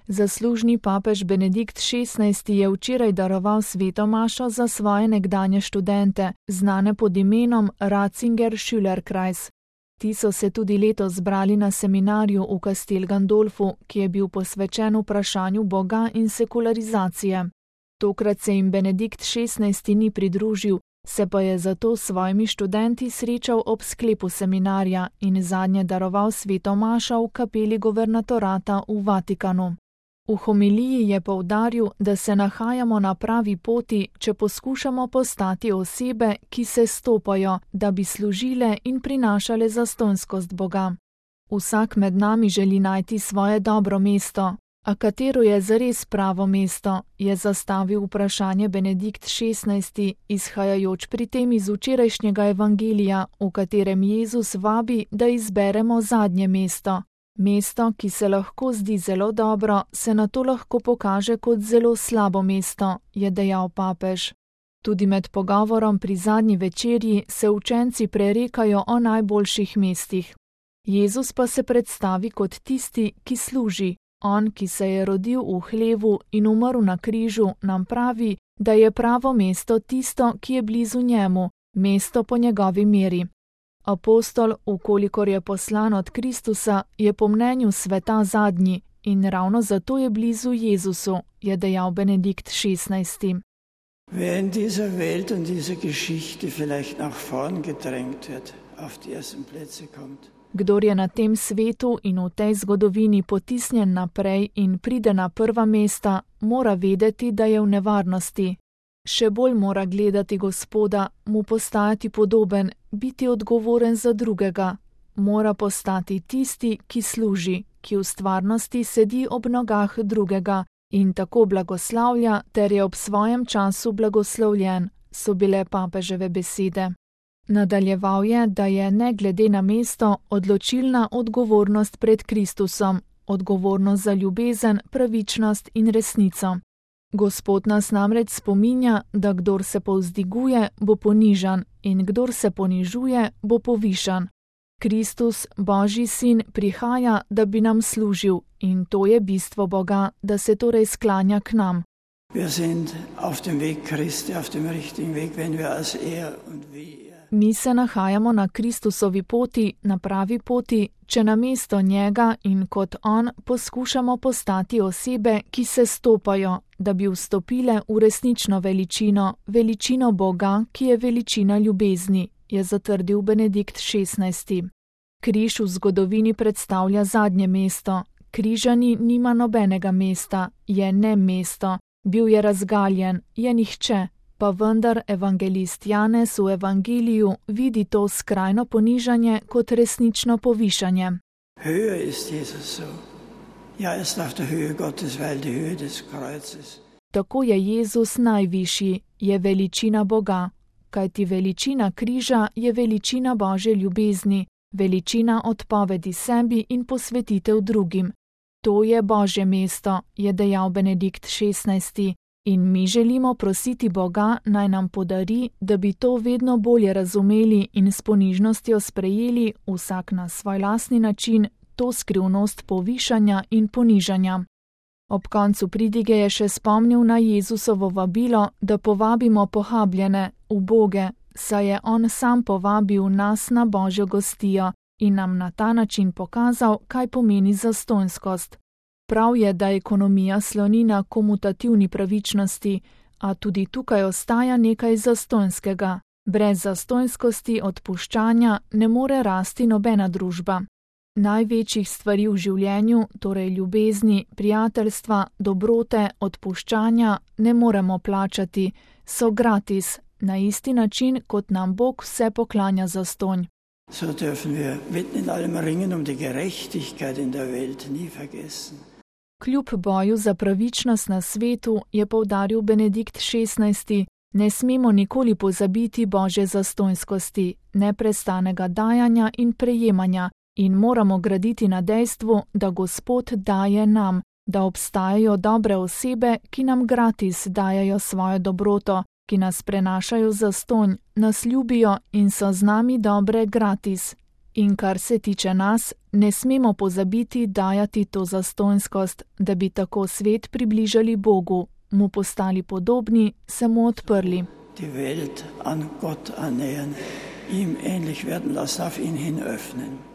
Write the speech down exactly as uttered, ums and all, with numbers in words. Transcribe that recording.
Zaslužni papež Benedikt šestnajsti je včeraj daroval sveto mašo za svoje nekdanje študente, znane pod imenom Ratzinger-Schülerkreis. Ti so se tudi letos zbrali na seminarju v Castel Gandolfu, ki je bil posvečen vprašanju Boga in sekularizacije. Tokrat se jim Benedikt šestnajsti ni pridružil, se pa je zato s svojimi študenti srečal ob sklepu seminarja in zadnje daroval sveto mašo v kapeli guvernatorata v Vatikanu. V homiliji je poudaril, da se nahajamo na pravi poti, če poskušamo postati osebe, ki se stopajo, da bi služile in prinašale zastonjskost Boga. Vsak med nami želi najti svoje dobro mesto, a katero je zares pravo mesto, je zastavil vprašanje Benedikt šestnajsti, izhajajoč pri tem iz včerajšnjega evangelija, v katerem Jezus vabi, da izberemo zadnje mesto. Mesto, ki se lahko zdi zelo dobro, se nato lahko pokaže kot zelo slabo mesto, je dejal papež. Tudi med pogovorom pri zadnji večerji se učenci prerekajo o najboljših mestih. Jezus pa se predstavi kot tisti, ki služi. On, ki se je rodil v hlevu in umrl na križu, nam pravi, da je pravo mesto tisto, ki je blizu njemu, mesto po njegovi meri. Apostol, ukolikor je poslan od Kristusa, je po mnenju sveta zadnji in ravno zato je blizu Jezusu, je dejal Benedikt šestnajsti. Wer in dieser Welt und dieser Geschichte vielleicht nach vorn gedrängt wird, auf die ersten Plätze kommt. Kdor je na tem svetu in v tej zgodovini potisnjen naprej in pride na prva mesta, mora vedeti, da je v nevarnosti. Še bolj mora gledati Gospoda, mu postajati podoben, biti odgovoren za drugega. Mora postati tisti, ki služi, ki v stvarnosti sedi ob nogah drugega in tako blagoslavlja ter je ob svojem času blagoslovljen, so bile papeževe besede. Nadaljeval je, da je ne glede na mesto odločilna odgovornost pred Kristusom, odgovornost za ljubezen, pravičnost in resnico. Gospod nas namreč spominja, da kdor se povzdiguje, bo ponižan in kdor se ponižuje, bo povišan. Kristus, Božji sin, prihaja, da bi nam služil in to je bistvo Boga, da se torej sklanja k nam. Wir sind auf dem Weg Christi, auf dem richtigen Weg, wenn wir als er und wie er. Mi se nahajamo na Kristusovi poti, na pravi poti, če namesto njega in kot on poskušamo postati osebe, ki se stopajo, da bi vstopile v resnično veličino, veličino Boga, ki je veličina ljubezni, je zatrdil Benedikt šestnajsti. Križ v zgodovini predstavlja zadnje mesto. Križani nima nobenega mesta, je ne mesto, bil je razgaljen, je nihče. Pa vendar evangelist Janez v evangeliju vidi to skrajno ponižanje kot resnično povišanje. Höher ist Jesus so. Ja, er ist auf der Höhe Gottes, weil die Höhe des Kreuzes. Tako je Jezus najvišji, je veličina Boga, kajti veličina križa je veličina Božje ljubezni, veličina odpovedi sebi in posvetitev drugim. To je Božje mesto, je dejal Benedikt šestnajsti. In mi želimo prositi Boga, naj nam podari, da bi to vedno bolje razumeli in s ponižnostjo sprejeli, vsak na svoj lastni način, to skrivnost povišanja in ponižanja. Ob koncu pridige je še spomnil na Jezusovo vabilo, da povabimo pohabljene, uboge, saj je on sam povabil nas na Božjo gostijo in nam na ta način pokazal, kaj pomeni zastonjskost. Prav je, da ekonomija sloni na komutativni pravičnosti, a tudi tukaj ostaja nekaj zastonjskega. Brez zastonjskosti odpuščanja ne more rasti nobena družba. Največjih stvari v življenju, torej ljubezni, prijateljstva, dobrote, odpuščanja, ne moremo plačati, so gratis, na isti način, kot nam Bog vse poklanja zastonj. So dürfen wir mitten in allem Ringen um die Gerechtigkeit in der Welt nie vergessen. Kljub boju za pravičnost na svetu, je poudaril Benedikt šestnajsti, ne smemo nikoli pozabiti Božje zastonjskosti, neprestanega dajanja in prejemanja in moramo graditi na dejstvu, da Gospod daje nam, da obstajajo dobre osebe, ki nam gratis dajajo svojo dobroto, ki nas prenašajo zastonj, nas ljubijo in so z nami dobre gratis. In kar se tiče nas, ne smemo pozabiti dajati to zastonjskost, da bi tako svet približali Bogu, mu postali podobni, se mu odprli. Die Welt an Gott annähern, ihm ähnlich werden lassen, auf ihn hin öffnen.